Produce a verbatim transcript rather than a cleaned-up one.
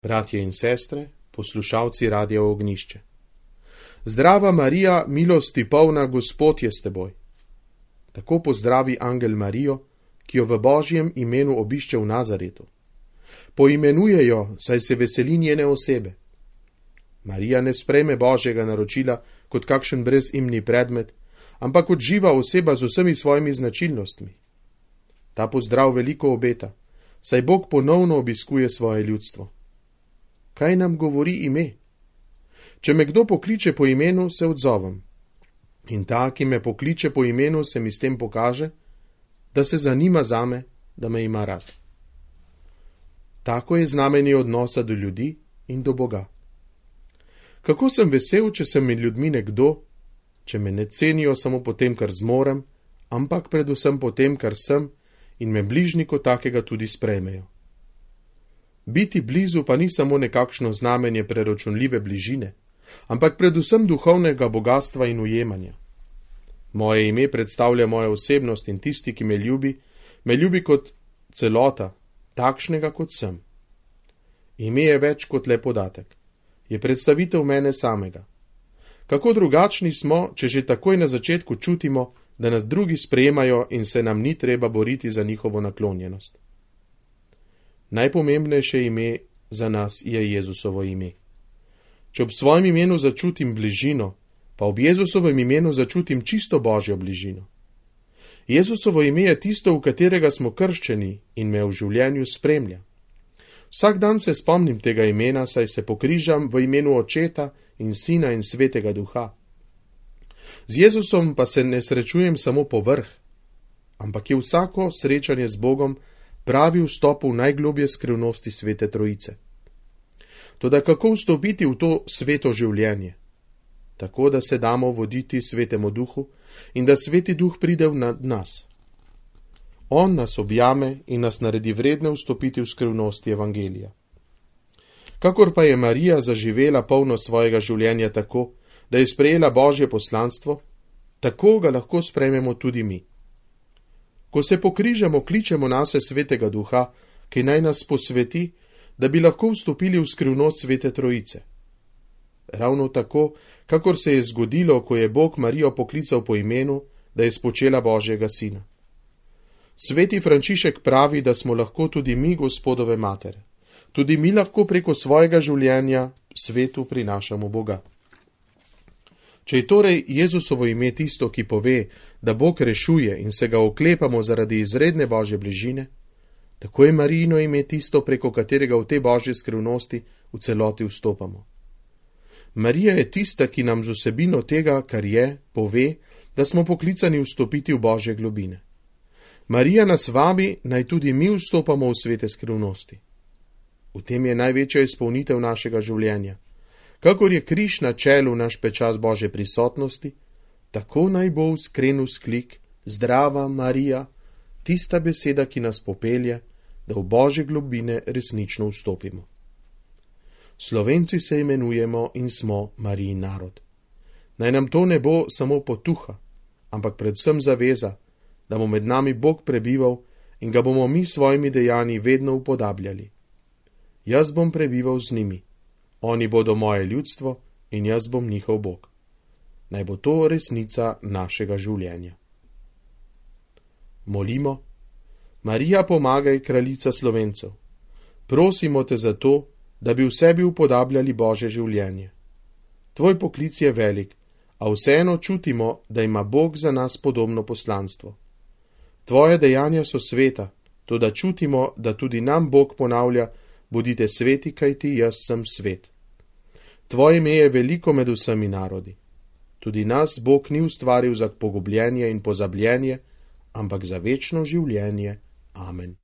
Bratje in sestre, poslušalci Radia Ognjišče. Zdrava Marija, milosti polna, Gospod je s teboj. Tako pozdravi angel Marijo, ki jo v Božjem imenu obišče v Nazaretu. Poimenuje jo, saj se veseli njene osebe. Marija ne sprejme Božjega naročila kot kakšen brezimni predmet, ampak kot živa oseba z vsemi svojimi značilnostmi. Ta pozdrav veliko obeta, saj Bog ponovno obiskuje svoje ljudstvo. Kaj nam govori ime? Če me kdo pokliče po imenu, se odzovem. In ta, ki me pokliče po imenu, se mi s tem pokaže, da se zanima zame, da me ima rad. Tako je znamenje odnosa do ljudi in do Boga. Kako sem vesel, če sem med ljudmi nekdo, če me ne cenijo samo po tem, kar zmorem, ampak predvsem po tem, kar sem, in me bližnji kot takega tudi sprejmejo. Biti blizu pa ni samo nekakšno znamenje preračunljive bližine, ampak predvsem duhovnega bogatstva in ujemanja. Moje ime predstavlja mojo osebnost in tisti, ki me ljubi, me ljubi kot celota, takšnega kot sem. Ime je več kot le podatek, je predstavitev mene samega. Kako drugačni smo, če že takoj na začetku čutimo, da nas drugi sprejemajo in se nam ni treba boriti za njihovo naklonjenost. Najpomembnejše ime za nas je Jezusovo ime. Če ob svojem imenu začutim bližino, pa ob Jezusovem imenu začutim čisto Božjo bližino. Jezusovo ime je tisto, v katerega smo krščeni in me v življenju spremlja. Vsak dan se spomnim tega imena, saj se pokrižam v imenu Očeta in Sina in Svetega Duha. Z Jezusom pa se ne srečujem samo po vrh, ampak je vsako srečanje z Bogom pravi vstop v najglobje skrivnosti Svete Trojice. Toda kako vstopiti v to sveto življenje? Tako, da se damo voditi Svetemu Duhu in da Sveti Duh pride nad nas. On nas objame in nas naredi vredne vstopiti v skrivnosti Evangelija. Kakor pa je Marija zaživela polno svojega življenja tako, da je sprejela Božje poslanstvo, tako ga lahko sprejmemo tudi mi. Ko se pokrižamo, kličemo nase Svetega Duha, ki naj nas posveti, da bi lahko vstopili v skrivnost Svete Trojice. Ravno tako, kakor se je zgodilo, ko je Bog Marijo poklical po imenu, da je spočela Božjega Sina. Sveti Frančišek pravi, da smo lahko tudi mi Gospodove matere. Tudi mi lahko preko svojega življenja svetu prinašamo Boga. Če je torej Jezusovo ime tisto, ki pove, da Bog rešuje in se ga oklepamo zaradi izredne Božje bližine, tako je Marijino ime tisto, preko katerega v te Božje skrivnosti v celoti vstopamo. Marija je tista, ki nam z vsebino tega, kar je, pove, da smo poklicani vstopiti v Božje globine. Marija nas vabi, naj tudi mi vstopamo v svete skrivnosti. V tem je največja izpolnitev našega življenja. Kakor je križ na čelu naš pečat Božje prisotnosti, tako naj bo iskren vzklik, zdrava Marija, tista beseda, ki nas popelje, da v Božje globine resnično vstopimo. Slovenci se imenujemo in smo Marijin narod. Naj nam to ne bo samo potuha, ampak predvsem zaveza, da bo med nami Bog prebival in ga bomo mi svojimi dejanji vedno upodabljali. Jaz bom prebival z njimi. Oni bodo moje ljudstvo in jaz bom njihov Bog. Naj bo to resnica našega življenja. Molimo. Marija, pomagaj, kraljica Slovencev. Prosimo te za to, da bi v sebi upodabljali Božje življenje. Tvoj poklic je velik, a vseeno čutimo, da ima Bog za nas podobno poslanstvo. Tvoje dejanja so sveta, toda čutimo, da tudi nam Bog ponavlja, bodite sveti, kajti jaz sem svet. Tvoje ime je veliko med vsemi narodi. Tudi nas Bog ni ustvaril za pogubljenje in pozabljenje, ampak za večno življenje. Amen.